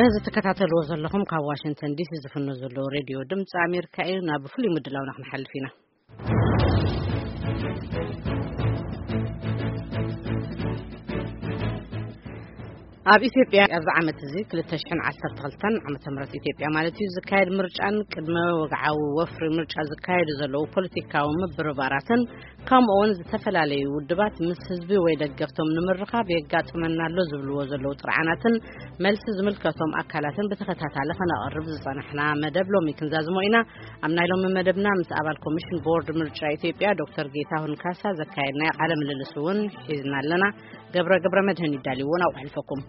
እዚ ትከታተልዎ ዘለኹም ካብ ዋሽንግተን ዲሲ ዝፍኖ ዘሎ ሬድዮ ድምፂ ኣሜሪካ እዩ። ናብ ፍሉይ ምድላውና ክንሓልፍ ኢና። ኣብ ኢትዮጵያ ኣብዚ ዓመት እዚ ክልተ ሽሕን ዓሰርተ ክልተን ዓመተ ምህረት ኢትዮጵያ ማለት እዩ ዝካየድ ምርጫን ቅድመ ወግዓዊ ወፍሪ ምርጫ ዝካየዱ ዘለዉ ፖለቲካዊ ምብርባራትን ከምኡ እውን ዝተፈላለዩ ውድባት ምስ ህዝቢ ወይ ደገፍቶም ንምርኻብ የጋጥመና ኣሎ ዝብልዎ ዘለዉ ጥርዓናትን መልሲ ዝምልከቶም ኣካላትን ብተኸታታሊ ከነቐርብ ዝጸናሕና መደብ ሎሚ ክንዛዝሞ ኢና። ኣብ ናይ ሎሚ መደብና ምስ ኣባል ኮሚሽን ቦርድ ምርጫ ኢትዮጵያ ዶክተር ጌታሁን ካሳ ዘካየድናዮ ቃለ ምልልስ እውን ሒዝና ኣለና። ገብረ ገብረ መድህን ይዳልይዎ፣ ናብኡ ከሕልፈኩም።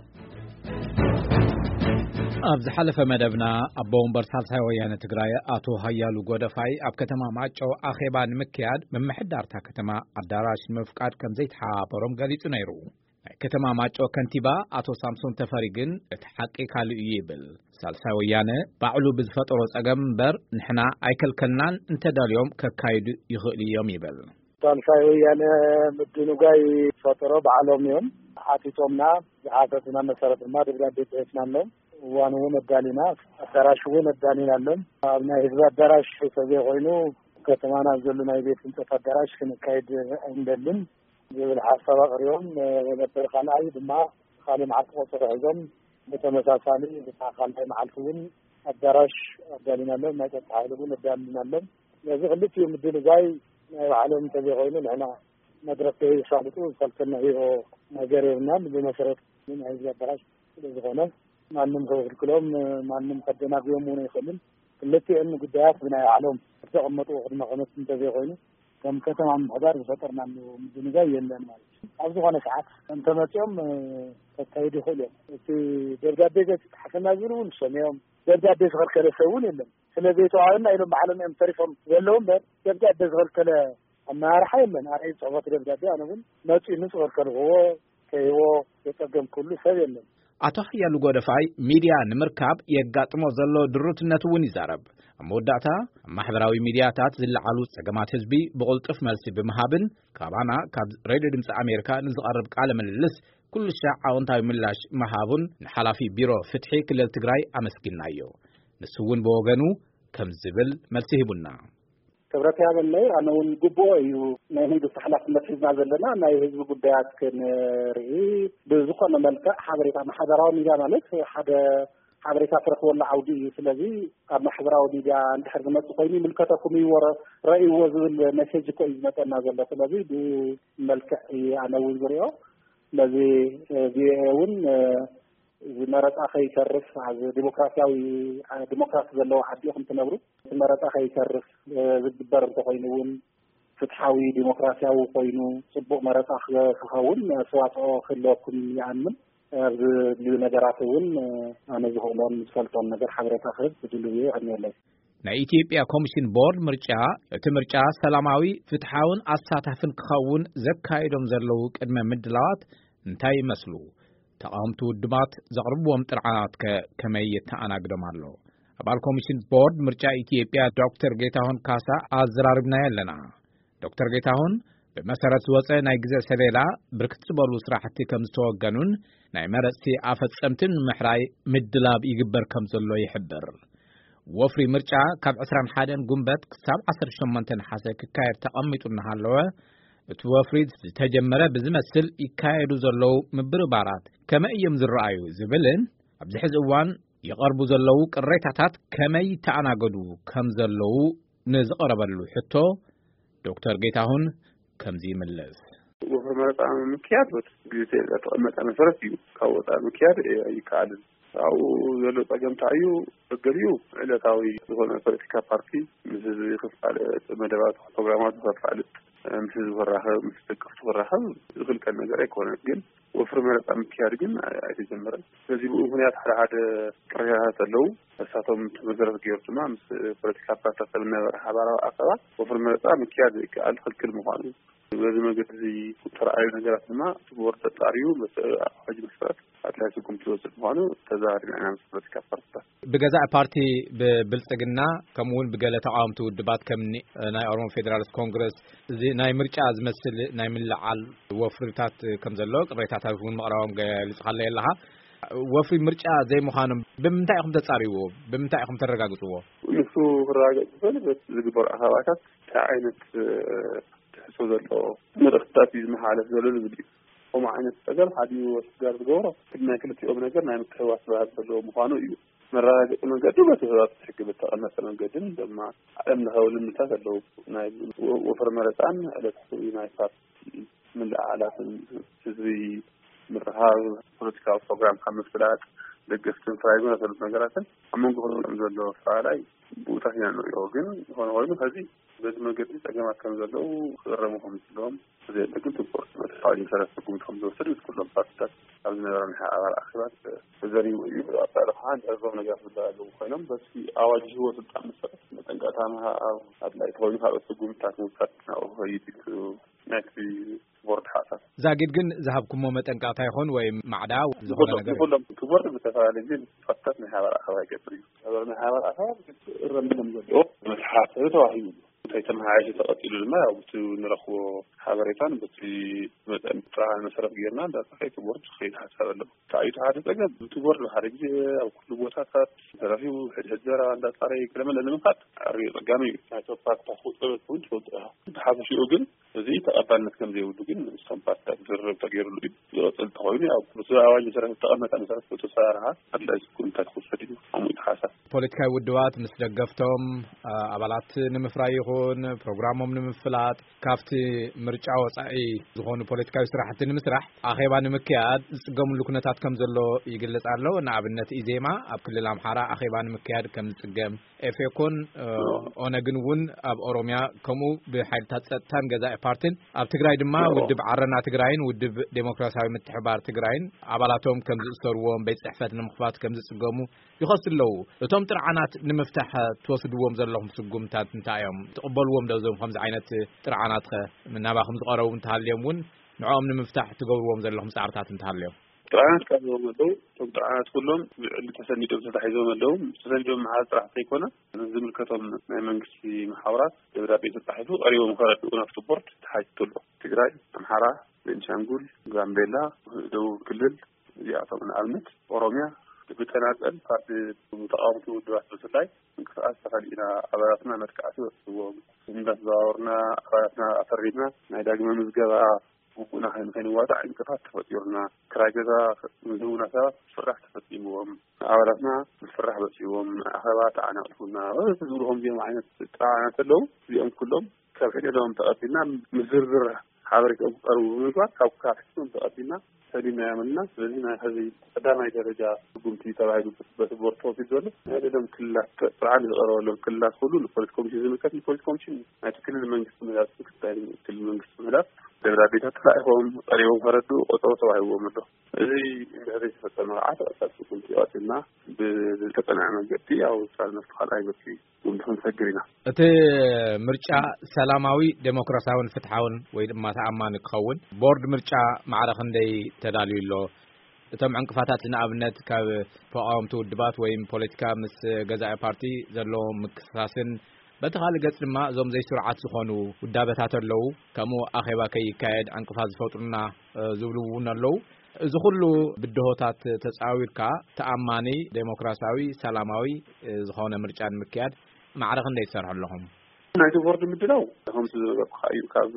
ኣብ ዝሓለፈ መደብና ኣቦ ወንበር ሳልሳይ ወያነ ትግራይ ኣቶ ሃያሉ ጎደፋይ ኣብ ከተማ ማይጨው ኣኼባ ንምክያድ ምምሕዳርታ ከተማ ኣዳራሽ ንምፍቃድ ከም ዘይተሓባበሮም ገሊጹ ነይሩ። ናይ ከተማ ማይጨው ከንቲባ ኣቶ ሳምሶን ተፈሪ ግን እቲ ሓቂ ካልእ እዩ ይብል። ሳልሳይ ወያነ ባዕሉ ብዝፈጠሮ ጸገም እምበር ንሕና ኣይከልከልናን፣ እንተደልዮም ከካይዱ ይኽእሉ እዮም ይብል። ሳልሳይ ወያነ ምድንጓይ ዝፈጠሮ ባዕሎም እዮም። ሓቲቶምና፣ ዝሓተትና መሰረት ድማ ደብዳቤ ጽሒፍናሎም። እዋን እውን ኣዳሊና፣ ኣዳራሽ እውን ኣዳሊናሎም። ኣብ ናይ ህዝቢ ኣዳራሽ ተዘይኮይኑ፣ ከተማና ኣብ ዘሎ ናይ ቤት ህንፀት ኣዳራሽ ክንካይድ ኣይንደልን ዝብል ሓሳብ ኣቕሪቦም ነበር። ካልኣይ ድማ፣ ካልእ መዓልቲ ቆፀሮ ሒዞም ብተመሳሳሊ፣ ብታ ካልኣይ መዓልቲ እውን ኣዳራሽ ኣዳሊናሎም፣ ናይ ጸጥታ ሓይሊ እውን ኣዳሊናሎም። ስለዚ ክልቲኡ ምድንጓይ ናይ ባዕሎም እንተዘይኮይኑ፣ ንሕና መድረክ ከይሳልጡ ዝኸልከልናዮ ነገር የብልናን። ብመሰረት ናይ ህዝቢ ኣዳራሽ ስለ ዝኾነ፣ ማንም ከኽልክሎም፣ ማንም ከደናግዮም እውን ኣይኽእልን። ክልቲኦም ጉዳያት ብናይ ባዕሎም ዝተቐመጡ ቅድመ ኩነት እንተዘይኮይኑ፣ ከም ከተማ ምምሕዳር ዝፈጠርናሉ ምድንጋይ የለን ማለት እዩ። ኣብ ዝኾነ ሰዓት እንተመፂኦም፣ እ፣ ከካይዱ ይኽእሉ እዮም። እቲ ደብዳቤ ገይሩ ፃሓፈና ዝብል እውን ንሶም እዮም። ደብዳቤ ዝኸልከለ ሰብ እውን የለን። ስለ ዘይተዋሃበና ኢሎም ባዕሎም እዮም ተሪፎም ዘለዉ እምበር፣ ደብዳቤ ዝኸልከለ ኣመራርሓ የለን። ኣረ፣ ዝፅሕፎ ደብዳቤ፣ ኣነ እውን መፂኡ ንፁ ከልከልክዎ፣ ከይዎ ዘፀገምኩሉ ሰብ የለን። ኣቶ ሓያሉ ጎደፋይ ሚድያ ንምርካብ የጋጥሞ ዘሎ ድሩትነት እውን ይዛረብ። ኣብ መወዳእታ፣ ኣብ ማሕበራዊ ሚድያታት ዝለዓሉ ጸገማት ህዝቢ ብቕልጡፍ መልሲ ብምሃብን ካባና ካብ ሬድዮ ድምፂ ኣሜሪካ ንዝቐርብ ቃለ ምልልስ ኩሉ ሻዕ ኣወንታዊ ምላሽ ምሃቡን ንሓላፊ ቢሮ ፍትሒ ክልል ትግራይ ኣመስጊናዮ። ንሱ እውን ብወገኑ ከም ዝብል መልሲ ሂቡና። ክብረት ያበለይ፣ ኣነ እውን ግቡኦ እዩ። ናይ መንግስቲ ሓላፍነት ሒዝና ዘለና ናይ ህዝቢ ጉዳያት ክንርኢ፣ ብዝኾነ መልክዕ ሓበሬታ፣ ማሕበራዊ ሚድያ ማለት ሓደ ሓበሬታ ትረኽበሉ ዓውዲ እዩ። ስለዚ ኣብ ማሕበራዊ ሚድያ እንድሕር ዝመጽእ ኮይኑ ይምልከተኩም እዩ፣ ወረ-፣ ረእይዎ ዝብል ሜሴጅ እኮ እዩ ዝመጸና ዘሎ። ስለዚ ብመልክዕ እዩ ኣነ እውን ዝሪኦ። ስለዚ፣ እ፣ ቪኦኤ እውን፣ እ፣ እዚ መረጻ ከይተርፍ፣ ኣብ ዲሞክራሲያዊ፣ ዲሞክራሲ ዘለዎ ዓዲ ኢኹም ትነብሩ። እቲ መረጻ ከይተርፍ፣ እ፣ ዝግበር እንተኾይኑ እውን ፍትሓዊ ዲሞክራሲያዊ ኮይኑ ጽቡቕ መረጻ ክ-፣ ክኸውን ኣስተዋጽኦ ክህልወኩም ይኣምን። ኣብ ዝድልዩ ነገራት እውን፣ እ፣ ኣነ ዝኽእሎን ዝፈልጦን ነገር ሓበሬታ ክህብ ዝድልዩ ይቐንየለይ። ናይ ኢትዮጵያ ኮሚሽን ቦርድ ምርጫ፣ እቲ ምርጫ ሰላማዊ፣ ፍትሓውን ኣሳታፍን ክኸውን ዘካይዶም ዘለዉ ቅድመ ምድላዋት እንታይ ይመስሉ? ተቓወምቲ ውድባት ዘቕርብዎም ጥርዓናት ከ ከመይ የተኣናግዶም ኣሎ? ኣባል ኮሚሽን ቦርድ ምርጫ ኢትዮጵያ ዶክተር ጌታሁን ካሳ ኣዘራሪብናዮ ኣለና። ዶክተር ጌታሁን፣ ብመሰረት ዝወጸ ናይ ግዜ ሰሌዳ ብርክት ዝበሉ ስራሕቲ ከም ዝተወገኑን ናይ መረጽቲ ኣፈጸምትን ንምሕራይ ምድላብ ይግበር ከም ዘሎ ይሕብር። ወፍሪ ምርጫ ካብ ዕስራን ሓደን ጉንበት ክሳብ ዓሰርተ ሸሞንተ ነሓሰ ክካየድ ተቐሚጡ እናሃለወ፣ እቲ ወፍሪ ዝተጀመረ ብዝመስል ይካየዱ ዘለዉ ምብርባራት ከመይ እዮም ዝረኣዩ ዝብልን ኣብዚ ሕዚ እዋን ይቐርቡ ዘለዉ ቅሬታታት ከመይ ይተኣናገዱ ከም ዘለዉ ንዝቐረበሉ ሕቶ ዶክተር ጌታሁን ከምዚ ይምልስ። ወፍሪ መረፃ ምክያድ በቲ ግዜ ዝተቐመጠ መሰረት እዩ። ካብ ወፃኢ ምክያድ ኣይከኣልን። ኣብኡ ዘሎ ፀገም እንታይ እዩ? ገሊኡ ዕለታዊ ዝኾነ ፖለቲካ ፓርቲ ምስ ህዝቢ ክፋለጥ፣ መደባቱ፣ ፕሮግራማቱ ከፋልጥ፣ ምስ ህዝቢ ክራኸብ፣ ምስ ደገፍቱ ክራኸብ ዝኽልከል ነገር ኣይኮነን። ግን ወፍሪ መረፃ ምክያድ ግን ኣይ-፣ ኣይተጀመረን። ስለዚ ብኡ ምኽንያት ሓደ ሓደ ቅሬታታት ኣለዉ። ንሳቶም እቲ መሰረት ገይሩ ድማ ምስ ፖለቲካ ፓርቲታት ኣብ ዝነበረ ሓባራዊ ኣኼባ ወፍሪ መረፃ ምክያድ ዘይከኣል ክልክል ምዃኑ፣ በዚ መገዲ እዚ ዝተረኣዩ ነገራት ድማ እቲ ቦርድ ኣጣርዩ በቲ ኣዋጅ መሰረት ኣድላዪ ስጉምቲ ዝወስድ ምዃኑ ተዘራሪብና ኢና ምስ ፖለቲካ ፓርቲታት። ብገዛኢ ፓርቲ ብብልጽግና ከምኡ እውን ብገለ ተቓወምቲ ውድባት ከም ኒ-፣ ናይ ኦሮሞ ፌዴራሊስት ኮንግረስ እዚ ናይ ምርጫ ዝመስል ናይ ምልዓል ወፍርታት ከም ዘሎ ቅሬታታት እውን ምቕራቦም ገሊጽካለይ ኣለኻ። ወፍሪ ምርጫ ዘይምዃኖም ብምንታይ ኢኹም ተጻርይዎ? ብምንታይ ኢኹም ተረጋግጽዎ? ንሱ ክረጋገጽ ዝኽእል በቲ ዝግበሩ ኣኸባታት እንታይ ዓይነት ትሕዝቶ ዘለዎ መልእኽትታት እዩ ዝመሓላለፍ ዘሎ ዝብል እዩ። ከምኡ ዓይነት ጸገም ሓዲኡ ኣስጋር ዝገብሮ ናይ ክልቲኦም ነገር ናይ ምትሕውዋስ ባህሪ ዘለዎ ምዃኑ እዩ። መረጋገጺ መንገዲ በቲ ህባብ ሕጊ ብተቐመጠ መንገድን ድማ ዓለም ለኻዊ ልምድታት ኣለዉ። ናይ ወፈር መረፃን ዕለታዊ ናይ ፓርቲ ምልዓላትን ህዝቢ ምርሃብ ፖለቲካዊ ፕሮግራም ካብ ምፍላጥ ደገፍትን ፍራይ ዝመሰሉት ነገራትን ኣብ መንጎ ክልኦም ዘሎ ኣፈላላይ ብኡታት ኢና ንሪኦ። ግን ዝኾነ ኮይኑ ከዚ በዚ መገዲ ጸገማት ከም ዘለዉ ክእረሙ ከም ዝለዎም ዘየለ ግን ትኩር መተሓዋጅ መሰረት ስጉምቲ ከም ዝወሰድ ምስ ኩሎም ፓርቲታት ኣብ ዝነበረ ናይ ሓባር ኣኼባት ተዘሪቡ እዩ። ኣጻሪ ከዓ ንዕዞም ነገራት ዝለዓሉ ኮይኖም በቲ ኣዋጅ ህወ ስልጣን መሰረት መጠንቀቕታ ምሃብ ኣድላይ ተኮይኑ ካልኦት ስጉምትታት ምውሳድ ናብኡ ክኸይድ እዩ ናይቲ ቦርድ ሓሳብ። ዛጊድ ግን ዝሃብኩሞ መጠንቀቕታ ይኾን ወይ ማዕዳ ዝኾነ ነገር? ንኩሎም እቲ ቦርድ ብዝተፈላለየ ግዜ ፓርቲታት ናይ ሓባር ኣኸባ ይገብር እዩ። ሓባር ናይ ሓባር ኣኸባ እረም ከም ዘለዎ መተሓሳሰቢ ተዋሂቡ እዩ። እንታይ ተመሓይሹ ተቐጺሉ ድማ ያው ብቲ ንረኽቦ ሓበሬታን በቲ መጠን ጥራሓን መሰረት ጌርና እንዳጻፈ እቲ ቦርድ ክኸይድ ሓሳብ ኣለዎ። ተኣይቱ ሓደ ጸገም እቲ ቦርድ ብሓደ ግዜ ኣብ ኩሉ ቦታታት ተረኺቡ ሕድሕድ ዘረባ እንዳጻረየ ገለመለ ንምኻድ ኣርዮ ጸጋሚ እዩ። ናይቶ ፓርትታት ቁጽበት እውን ትፈልጡ ኢኻ። ብሓፈሽኡ ግን እዚ ተቐባልነት ከም ዘይብሉ ግን ምስቶም ፓርትታት ዝርርብ ተገይሩሉ እዩ። ዝቐጽል እንተኾይኑ ያው ምስ ኣዋጅ መሰረት ዝተቐመጠ መሰረት ብተሰራርሓ ኣድላይ ስጉምታት ክውሰድ እዩ። ከምኡ እዩ ሓሳብ። ፖለቲካዊ ውድባት ምስ ደገፍቶም ኣባላት ንምፍራይ ይኹን ፕሮግራሞም ንምፍላጥ ካብቲ ምርጫ ወጻኢ ዝኾኑ ፖለቲካዊ ስራሕቲ ንምስራሕ ኣኼባ ንምክያድ ዝጽገምሉ ኩነታት ከም ዘሎ ይግለጽ ኣሎ። ንኣብነት ኢዜማ ኣብ ክልል ኣምሓራ ኣኼባ ንምክያድ ከም ዝጽገም፣ ኤፌኮን ኦነግን እውን ኣብ ኦሮሚያ ከምኡ ብሓይልታት ጸጥታን ገዛኢ ፓርቲን ኣብ ትግራይ ድማ ውድብ ዓረና ትግራይን ውድብ ዴሞክራሲያዊ ምትሕባር ትግራይን ኣባላቶም ከም ዝእሰርዎም፣ ቤት ጽሕፈት ንምኽፋት ከም ዝጽገሙ ይኸሱ ኣለዉ። እቶም ጥርዓናት ንምፍታሕ ትወስድዎም ዘለኹም ስጉምታት እንታይ እዮም? ትቕበልዎም ዶ እዞም ከምዚ ዓይነት ጥርዓናት ኸ ናባኹም ዝቐረቡ እንተሃልዮም እውን ንዕኦም ንምፍታሕ ትገብርዎም ዘለኹም ጻዕርታት እንተሃልዮም? ጥርዓናት ቀሪቦም ኣለዉ። እቶም ጥርዓናት ኩሎም ብዕሊ ተሰኒዶም ተታሒዞም ኣለዉ። ተሰኒዶም መሓዝ ጥራሕ ዘይኮነ ዝምልከቶም ናይ መንግስቲ መሓውራት ደብዳቤ ተጻሒፉ ቀሪቦም ከረድኡ ናብቲ ቦርድ ተሓቲቱ ኣሎ። ትግራይ፣ ኣምሓራ፣ ቤንሻንጉል፣ ጋምቤላ፣ ደቡብ ክልል እዚኣቶም ንኣብነት ኦሮሚያ ብተናጸል ካብ ተቃወምቲ ውድባት ብፍላይ ምንቅስቃስ ተኸሊእና ኣባላትና መጥቃዕቲ በፂሕዎም እንዳተዘዋወርና ኣባላትና ኣፈሪድና ናይ ዳግመ ምዝገባ ግቡእና ንከይንዋፃዕ ዕንቅፋት ተፈጢሩና ክራይ ገዛ ንዝህቡና ሰባት ፍራሕ ተፈፂምዎም ኣባላትና ፍራሕ በፂዎም ኣኸባ ተዓናቂፉና ዝብሉ ከምዚኦም ዓይነት ጥራዓና ከለዉ እዚኦም ኩሎም ካብ ሕደዶም ተቐቢልና ምስ ዝርዝር ሓበሬታኦም ክቐርቡ ብምግባር ካብ ካርቲቶም ተቐቢልና ሰሊምናዮም ኣለና። ስለዚ ናይ ሕዚ ቀዳማይ ደረጃ ስጉምቲ ተባሂሉ በቲ ቦርድ ተወሲዱ ዘሎ ናይ ደም ክልላት ጥርዓን ዝቐረበሎም ክልላት ኩሉ ንፖሊስ ኮሚሽን ዝምልከት ንፖሊስ ኮሚሽን ናይቲ ክልል መንግስቲ ምህዳት ምክትል ክልል መንግስቲ ምህዳት ደብዳቤታት ተላኢኾም ቀሪቦም ከረዱ ቆፀሮ ተዋሂብዎም ኣሎ። እዚ እንድሕር ዘይተፈፀመ ከዓ ተቐጻሊ ስጉምቲ ቀፂልና ብዝተፀንዐ መንገዲ ኣብ ውሳነ መፍትሒ ካልኣይ መፍትሒ ጉምቲ ክንሰግር ኢና። እቲ ምርጫ ሰላማዊ፣ ዴሞክራሲያውን ፍትሓውን ወይ ድማ ተኣማኒ ክኸውን ቦርድ ምርጫ ማዕረ ክንደይ ተዳልዩ ኣሎ? እቶም ዕንቅፋታት ንኣብነት ካብ ተቓወምቲ ውድባት ወይም ፖለቲካ ምስ ገዛኢ ፓርቲ ዘለዎ ምክስሳስን በቲ ካልእ ገጽ ድማ እዞም ዘይስሩዓት ዝኾኑ ውዳበታት ኣለዉ፣ ከምኡ ኣኼባ ከይካየድ ዕንቅፋት ዝፈጥሩና ዝብሉ እውን ኣለዉ። እዚ ኩሉ ብድሆታት ተጻዊርካ ተኣማኒ፣ ዴሞክራሲያዊ፣ ሰላማዊ ዝኾነ ምርጫ ንምክያድ ማዕረ ክንደይ ትሰርሑ ኣለኹም? ናይቲ ቦርድ ምድላው ከምቲ ዝነበርኩኻ እዩ። ካብ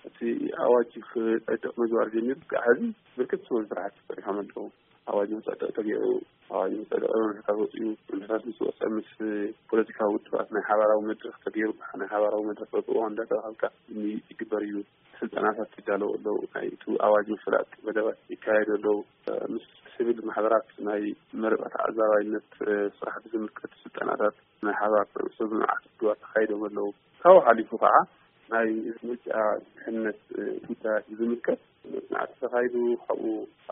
እቲ ኣዋጅ ክጸድቕ ምግባር ጀሚሩ ክሳዕ ሕዚ ብርክት ዝበሉ ስራሕቲ ተሰሪሖም ኣለዉ። ኣዋጅ ክጸድቕ ተገይሩ፣ ኣዋጅ ክጸድቕ መምርሕታት ወጺኡ፣ መምርሕታት ምስ ወጸ ምስ ፖለቲካዊ ውድባት ናይ ሓባራዊ መድረኽ ተገይሩ፣ ናይ ሓባራዊ መድረኽ በብእዋኑ እንዳተራኸብካ ዝግበር እዩ። ስልጠናታት ይዳለዉ ኣለዉ። ናይ እቲ ኣዋጅ ምፍላጥ መደባት ይካየዱ ኣለዉ። ምስ ሲቪል ማሕበራት ናይ መረጻ ተዓዛባይነት ስራሕ ብዝምልከት ስልጠናታት ናይ ሓባር ሰብ መዓት ውድባት ተኻይዶም ኣለዉ። ካብኡ ሓሊፉ ከዓ ናይ ምርጫ ድሕነት ጉዳያት ብዝምልከት መጽናዕቲ ተኻይዱ። ካብኡ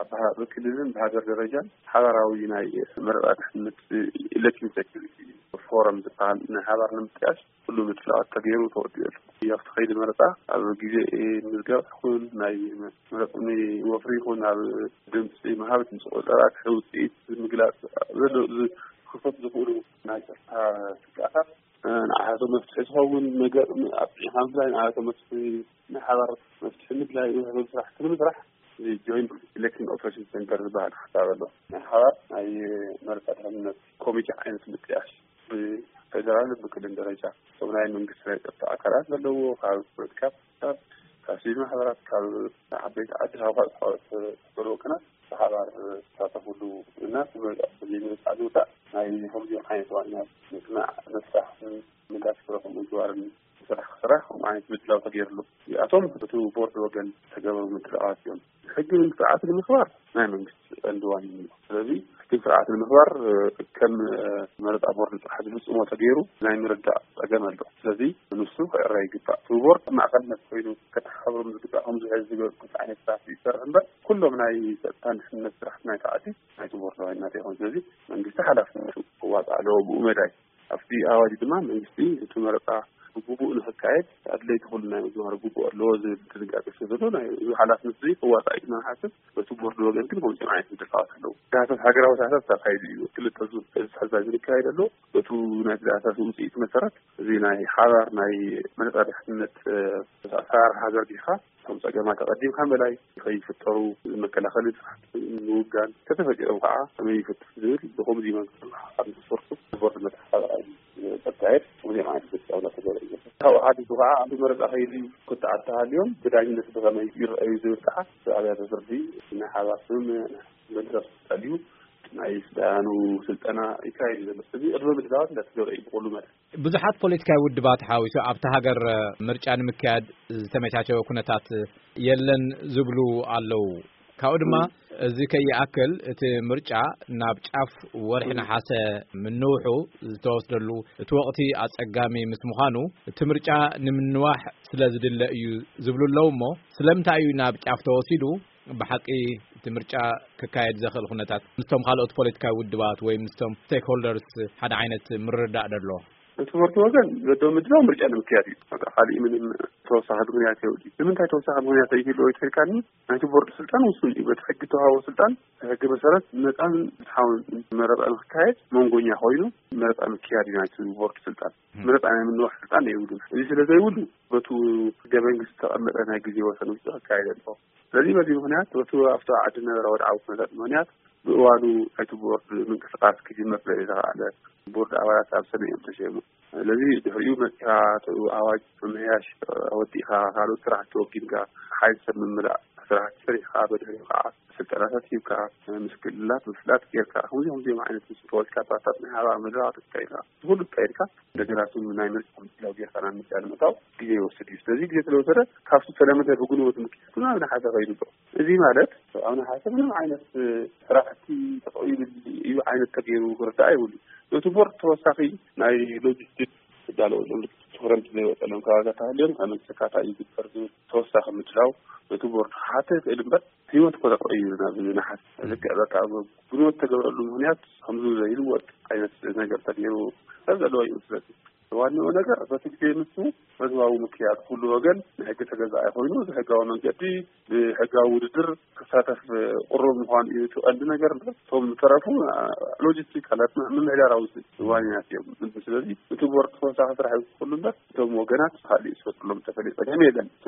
ኣብ ክልልን ብሃገር ደረጃን ሓባራዊ ናይ መረጻ ድሕነት ኢለክሽን ሴኩሪቲ ፎረም ዝበሃል ናይ ሓባር ንምጥያሽ ኩሉ ምድላዋት ተገይሩ ተወዲኡ ኣሎ። ኣብቲ ከይዲ መረጻ ኣብ ግዜ ምዝገባ ይኹን ናይ መረፅኒ ወፍሪ ይኹን ኣብ ድምፂ ምሃብ፣ ድምፂ ቆፀራ፣ ድሕሪ ውፅኢት ምግላፅ ዘሎ ክኸሰቱ ዝኽእሉ ናይ ፀጥታ ስግኣታት ንዓቶም መፍትሒ ዝኸውን ነገር ኣብፂሕና ምፍላይ፣ ንዓቶም መፍትሒ ናይ ሓባር መፍትሒ ምድላይ ዝሕግዝ ስራሕቲ ንምስራሕ እዚ ጆይንት ኢሌክሽን ኦፕሬሽን ሴንተር ዝበሃል ሓሳብ ኣሎ። ናይ ሓባር ናይ መረፃ ድሕንነት ኮሚቴ ዓይነት ምጥያሽ ብፌደራል ብክልል ደረጃ እቶም ናይ መንግስቲ ናይ ፀጥታ ኣካላት ዘለዎ ካብ ፖለቲካ ፓርቲታት፣ ካብ ሲቪል ማሕበራት፣ ካብ ዓበይቲ ዓዲ፣ ካብ ካልኦት ተፈጥሮ ወገናት ብሓባር ዝሳተፉሉ እና ዘይምርጫ ዝውዳእ ናይ ከምዚኦም ዓይነት ዋና ምፅናዕ መፍታሕ ምንዳት ክረኹ ምግባርን ስራሕ ክስራሕ ከምኡ ዓይነት ምድላው ተገይርሉ። እዚኣቶም እቲ ቦርድ ወገን ተገበሩ ምድላዋት እዮም። ሕግን ስርዓትን ንምኽባር ናይ መንግስቲ ቀንዲ ዋኒን እዩ። ስለዚ ሕግን ስርዓትን ንምኽባር ከም መረፃ ቦርድ ጥራሕ ዝፍፅሞ ተገይሩ ናይ ምርዳእ ፀገም ኣሎ። ስለዚ ንሱ ክዕረ ይግባእ። እቲ ቦርድ ማእኸልነት ኮይኑ ከተሓባብሮም ዝግባእ ከምዚ ሕዚ ዝገበርኩት ዓይነት ስራሕ ይሰርሕ እምበር ኩሎም ናይ ፀጥታን ድሕንነት ስራሕቲ ናይቲ ዓዲ ናይቲ ቦርድ ዋኒናት ይኾን። ስለዚ መንግስቲ ሓላፍነቱ ክዋፃእ ኣለዎ ብኡ መዳይ ኣብቲ ኣዋጅ ድማ መንግስቲ እቲ መረፃ ብግቡእ ንክካየድ ኣድለይቲ ኩሉ ናይ ምግባር ግቡእ ኣለዎ ዝብል ድንጋጌ ስለ ዘሎ ናይ እዚ ሓላፍነት እዚ ክዋፃእ እዩ ዝመሓስብ። በቲ ቦርድ ወገን ግን ከምዚኦም ዓይነት ምድላዋት ኣለዉ። ዳህሳስ ሃገራዊ ዳህሳስ ተካይዱ እዩ። ክልተ ዙር እዚ ሕዚ ዝካየድ ኣሎ። በቱ ናይ ዳህሳስ ውፅኢት መሰረት እዚ ናይ ሓባር ናይ መረፃ ድሕንነት ኣሰራርሓ ዘርጊሕካ እቶም ፀገማት ኣቐዲምካ ምእላይ ከይፍጠሩ መከላኸሊ ስራሕቲ ምውጋን ከተፈጢሮም ከዓ ከመይ ይፍትሕ ዝብል ብኸምዚ መንገዲ ኣብ ንክሰርቱ ቦርድ መተሓባበሪ ዘካየድ ከምዚኦም ዓይነት ፍፃውላ ተገበረ እዩ። ካብኡ ሓዲሱ ከዓ ኣብ መረፃ ከይዲ ክትዓት ተሃልዮም ብዳኝነት ብኸመይ ይረኣዩ ዝብል ከዓ ብኣብያተ ፍርዲ ናይ ሓባር ስምምዕ መድረኽ ተልዩ ናይ ስልጣኑ ስልጠና ይካየድ ዘሎ። እዚ ቅድመ ምድላዋት እንዳተገበረ እዩ ብኩሉ መዳይ። ብዙሓት ፖለቲካዊ ውድባት ሓዊሱ ኣብቲ ሃገር ምርጫ ንምክያድ ዝተመቻቸወ ኩነታት የለን ዝብሉ ኣለዉ። ካብኡ ድማ እዚ ከይኣክል እቲ ምርጫ ናብ ጫፍ ወርሒ ነሓሰ ምንውሑ ዝተወስደሉ እቲ ወቕቲ ኣጸጋሚ ምስ ምዃኑ እቲ ምርጫ ንምንዋሕ ስለ ዝድለ እዩ ዝብሉ ኣለዉ። እሞ ስለምንታይ እዩ ናብ ጫፍ ተወሲዱ? ብሓቂ እቲ ምርጫ ክካየድ ዘኽእል ኩነታት ምስቶም ካልኦት ፖለቲካዊ ውድባት ወይ ምስቶም ስቴክሆልደርስ ሓደ ዓይነት ምርዳእ ደሎ? እቲ ቦርድ ወገን ዘደው ምድላው ምርጫ ንምክያድ እዩ። በቃ ካሊእ ምንም ተወሳኺ ምክንያት የብሉ። ንምንታይ ተወሳኺ ምክንያት ይህልዎ ይተልካኒ? ናይቲ ቦርድ ስልጣን ውሱን እዩ። በቲ ሕጊ ተዋህቦ ስልጣን ሕጊ መሰረት ነፃን ፍትሓውን መረፃ ንክካየድ መንጎኛ ኮይኑ መረፃ ምክያድ እዩ ናይቲ ቦርድ ስልጣን። መረፃ ናይ ምንዋሕ ስልጣን የብሉን። እዚ ስለ ዘይብሉ በቱ ሕገ መንግስቲ ዝተቐመጠ ናይ ግዜ ወሰን ውሽጢ ክካየድ ኣለዎ። ስለዚህ በዚ ምክንያት በቱ ኣብቲ ዓዲ ነበረ ወድዓዊ ኩነታት ምክንያት ብእዋኑ ናይቲ ቦርድ ምንቅስቃስ ክጅመር ስለ ዝተኻኣለ ቦርድ ኣባላት ኣብ ሰነ እዮም ተሸሙ። ስለዚ ድሕሪኡ መፂኻ እቲ ኣዋጅ ምምሕያሽ ወዲእኻ ካልኦት ስራሕቲ ወጊድካ ሓይል ሰብ ምምላእ ስራሕቲ ሰሪሕካ በድሕሪኡ ከዓ ስልጠናታት ሂብካ ምስ ክልላት ምፍላጥ ጌርካ ከምዚ ከምዚኦም ዓይነት ፖለቲካ ፓርታት ናይ ሓባር መድረኻት ኣካይድካ ኩሉ ኣካይድካ እንደገና እሱ ናይ ምርጫ ምድላው ጌርካ ናብ ምርጫ ንምእታው ግዜ ይወስድ እዩ። ስለዚ ግዜ ስለወሰደ ካብቲ ተለመደ ብጉንበት ምክያድ ናብ ነሓሰ ከይዱ ኣሎ። እዚ ማለት ኣብ ነሓሰ ምንም ዓይነት ስራሕቲ ተጠቒሙ እዩ ዓይነት ተገይሩ ክርዳእ ይብሉ። እቲ ቦርድ ተወሳኺ ናይ ሎጂስቲክስ ክዳለወሎም ትኹረት ዘይወፀሎም ከባቢታት ተሃልዮም ኣመልከካታ ይግበር ዝብል ተወሳኺ ምድላው እቲ ቦርድ ክሓተ ይኽእል እምበር ህይወት እኮ ተቐይሩ ናብ ነሓሰ ልክዕ በቃ ብንወት ተገብረሉ ምክንያት ከምዚ ዘይልወጥ ዓይነት ነገር ተገይሩ ሰብ ዘለዎ ይመስለኒ። ዋናው ነገር በቲ ግዜ ንሱ ህዝባዊ ምክያድ ኩሉ ወገን ንሕጊ ተገዛኢ ኮይኑ ብሕጋዊ መንገዲ ብሕጋዊ ውድድር ክሳተፍ ቅሩብ ምዃን እዩ እቲ ቀንዲ ነገር እምበር እቶም ዝተረፉ ሎጂስቲክ ኣላት ምምሕዳራዊ ዋኒናት እዮም። ስለዚ እቲ ቦርድ ተወሳኺ ስራሕ ይውስኽሉ እምበር እቶም ወገናት ካልእ ዝፈጥርሎም ዝተፈለየ ጸገም የለን። እቲ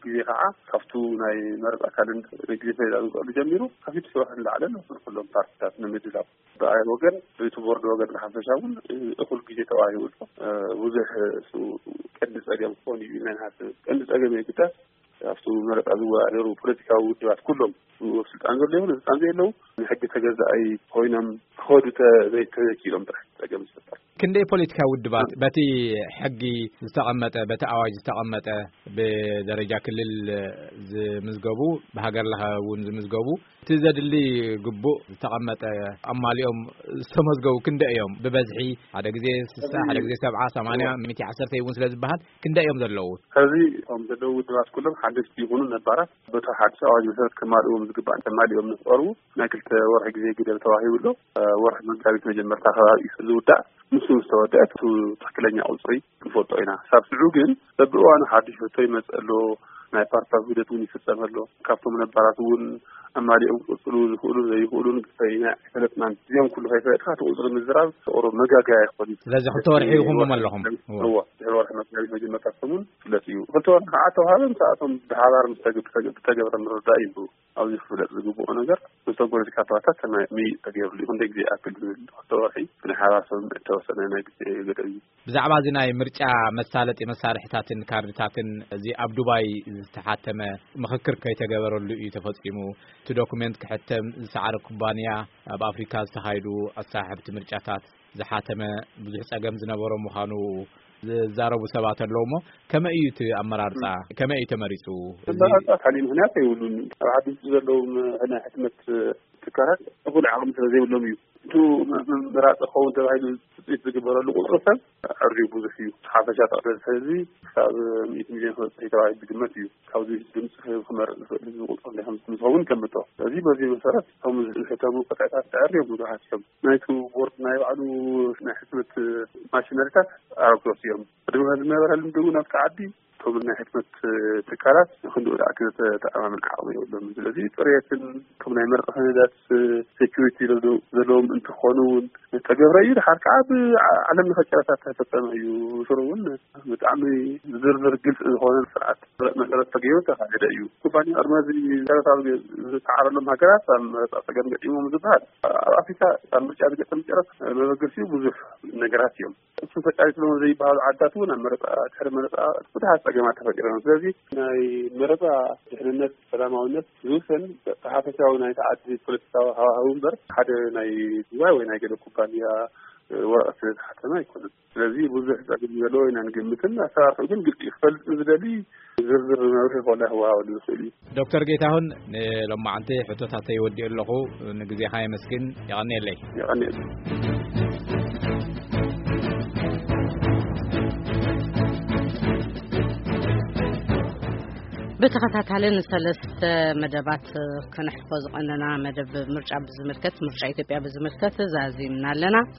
ግዜ ከዓ ካብቱ ናይ መረፃ ካልንደር ግዜ ፈሊጣ ዝውፅኣሉ ጀሚሩ ካብ ፊት ሽውሕ ንላዕለን ኩሎም ፓርቲታት ንምድላው ብኣይ ወገን በቲ ቦርድ ወገን ብሓፈሻ እውን እኹል ግዜ ተዋሂቡ ኣሎ። ብዙሕ እሱ ቀንዲ ጸገም ክኾን እዩ ኢልና ንሓስብ። ቀንዲ ጸገም የግዳስ ኣብቲ መረፃ ዝወዳደሩ ፖለቲካዊ ውድባት ኩሎም ኣብ ስልጣን ዘሎ ይኹን ስልጣን ዘየለው ንሕጊ ተገዛኣይ ኮይኖም ክኸዱ ተ- ዘይ- ተዘይክኢሎም ጥራሕ ጸገም ዝፈጠር። ክንደይ ፖለቲካዊ ውድባት በቲ ሕጊ ዝተቐመጠ በቲ ኣዋጅ ዝተቐመጠ ብደረጃ ክልል ዝምዝገቡ ብሃገር ለኸ እውን ዝምዝገቡ እቲ ዘድሊ ግቡእ ዝተቐመጠ ኣማሊኦም ዝተመዝገቡ ክንደይ እዮም? ብበዝሒ ሓደ ግዜ ስሳ ሓደ ግዜ ሰብዓ ሰማንያ ሚእቲ ዓሰርተ እውን ስለ ዝበሃል ክንደይ እዮም ዘለዉ? ሕዚ እቶም ዘለዉ ውድባት ኩሎም ሓደሽቲ ይኹኑ ነባራት በቲ ሓድሽ ኣዋጅ መሰረት ከማልእዎም ዝግባእ እንተማሊኦም ንክቐርቡ ናይ ክልተ ወርሒ ግዜ ግደብ ተዋሂቡ ኣሎ። ወርሒ መጋቢት መጀመርታ ከባቢ እዩ ዝውዳእ። ንሱ ምስ ተወደአ እቲ ትኽክለኛ ቁፅሪ ንፈልጦ ኢና። ሳብ ሽዑ ግን በብእዋኑ ሓድሽ ሕቶ ይመፅእ ኣሎ። ናይ ፓርቲታት ውህደት እውን ይፍፀም ኣሎ። ካብቶም ነባራት እውን ኣማሊኦም ክቕጽሉ ዝኽእሉ ዘይኽእሉን ግፋይና ኣይፈለጥናን። እዚኦም ኩሉ ከይፈለጥካ እቲ ቁጽሪ ምዝራብ ተቕሮ መጋገያ ይኾን እዩ። ስለዚ ክልተ ወርሒ ኢኹም ኣለኹም። እዎ። እዎ፣ ድሕሪ ወርሒ መጋቢት መጀመርታ ሰሙን ፍለጥ እዩ። ክልተ ወርሒ ከዓ ተዋሃበ፣ ምሳኣቶም ብሓባር ምስ ተገ-፣ ብተገ-፣ ብተገብረ ምርዳእ እዩ። ኣብዚ ክፍለጥ ዝግብኦ ነገር ምስቶም ፖለቲካ ፓርትታት ተመ-፣ ምይይጥ ተገይሩሉ እዩ። ክንደይ ግዜ ይኣክል ዝብል ክልተ ወርሒ ብናይ ሓባር ስምምዕ እተወሰነ ናይ ግዜ ገደብ እዩ። ብዛዕባ እዚ ናይ ምርጫ መሳለጢ መሳርሕታትን ካርድታትን እዚ ኣብ ዱባይ ዝተሓተመ ምኽክር ከይተገበረሉ እዩ ተፈጺሙ። እቲ ዶኩሜንት ክሕተም ዝሰዓረ ኩባንያ ኣብ ኣፍሪካ ዝተኻየዱ ኣሰሓሕብቲ ምርጫታት ዝሓተመ ብዙሕ ጸገም ዝነበሮ ምዃኑ ዝዛረቡ ሰባት ኣለዉ። እሞ ከመይ እዩ እቲ ኣመራርጻ? ከመይ እዩ ተመሪጹ? እዚ ኣመራርጻ ካልእ ምኽንያት የብሉን። ኣብ ዓዲ ውሽጢ ዘለዉ ም-፣ ናይ ሕትመት ትካላት እኹል ዓቕሚ ስለ ዘይብሎም እዩ። እቱ ም-፣ ም-፣ መራጺ ክኸውን ተባሂሉ ትጽቢት ዝግበረሉ ቁጽሪ ሰብ ኣዝዩ ብዙሕ እዩ። ሓፈሻ ጠቕላላ ህዝቢ ክሳብ ሚእቲ ሚልዮን ክበጽሕ እዩ ተባሂሉ ዝግመት እዩ። ካብዚ ድምፂ ክመርፅ ዝኽእል ህዝቢ ቁፅሪ እንታይ ከም ዝኸውን ከምቶ። ስለዚ በዚ መሰረት እቶም ዝሕተሙ ቅጥዕታት ተዕርዮም ብዙሓት እዮም። ናይቲ ቦርድ ናይ ባዕሉ ናይ ሕትመት ማሽነሪታት ኣረግቶት እዮም። ቅድሚ ዝነበረ ልምዲ እውን ኣብቲ ዓዲ እቶም ናይ ሕትመት ትካላት ክንድኡ ዝኣክል ተኣማምን ዓቕሚ የብሎምን። ስለዚ ፅሬትን እቶም ናይ መርፀ ሰነዳት ሴኪሪቲ ዘለዎም እንትኾኑ እውን ዝተገብረ እዩ። ድሓር ከዓ ብዓለም ለኸ ጨረታ ዝተፈፀመ እዩ። ሽሩ እውን ብጣዕሚ ዝርዝር ግልፂ ዝኾነ ስርዓት መሰረት ተገይሩ ተኻየደ እዩ። ኩባንያ ቅድሚ እዚ ጨረታ ዝተዓረሎም ሃገራት ኣብ መረፃ ፀገም ገጢሞም ዝበሃል ኣብ ኣፍሪካ ኣብ ምርጫ ዝገጠም ጨረታ መበገሲኡ ብዙሕ ነገራት እዮም። እሱ ተጫሪትሎም ዘይበሃሉ ዓድታት እውን ኣብ መረፃ ድሕሪ መረፃ ብዙሓት ፀገማት ተፈጢሮም። ስለዚ ናይ መረፃ ድሕንነት ሰላማዊነት ዝውሰን ብሓፈሻዊ ናይቲ ዓዲ ፖለቲካዊ ሃዋህው እምበር ሓደ ናይ ዱባይ ወይ ናይ ገለ ኩባንያ ወረቐት ስለ ዝሓተመ ኣይኮነን። ስለዚ ብዙሕ ጸገም ዘለዎ ኢና ንግምትን ኣሰራርሑ ግን ግልፂ እዩ። ክፈልጥ ዝደሊ ዝርዝር መብርሂ ኮላ ክወሃበሉ ዝኽእል እዩ። ዶክተር ጌታሁን፣ ንሎማዓንቲ ሕቶታተይ ወዲኡ ኣለኹ። ንግዜኻ የመስግን። የቐንየለይ። የቐንየለይ። ብተኸታታሊ ንሰለስተ መደባት ከነሕልፎ ዝቐነና መደብ ምርጫ ብዝምልከት፣ ምርጫ ኢትዮጵያ ብዝምልከት ዛዚምና ኣለና።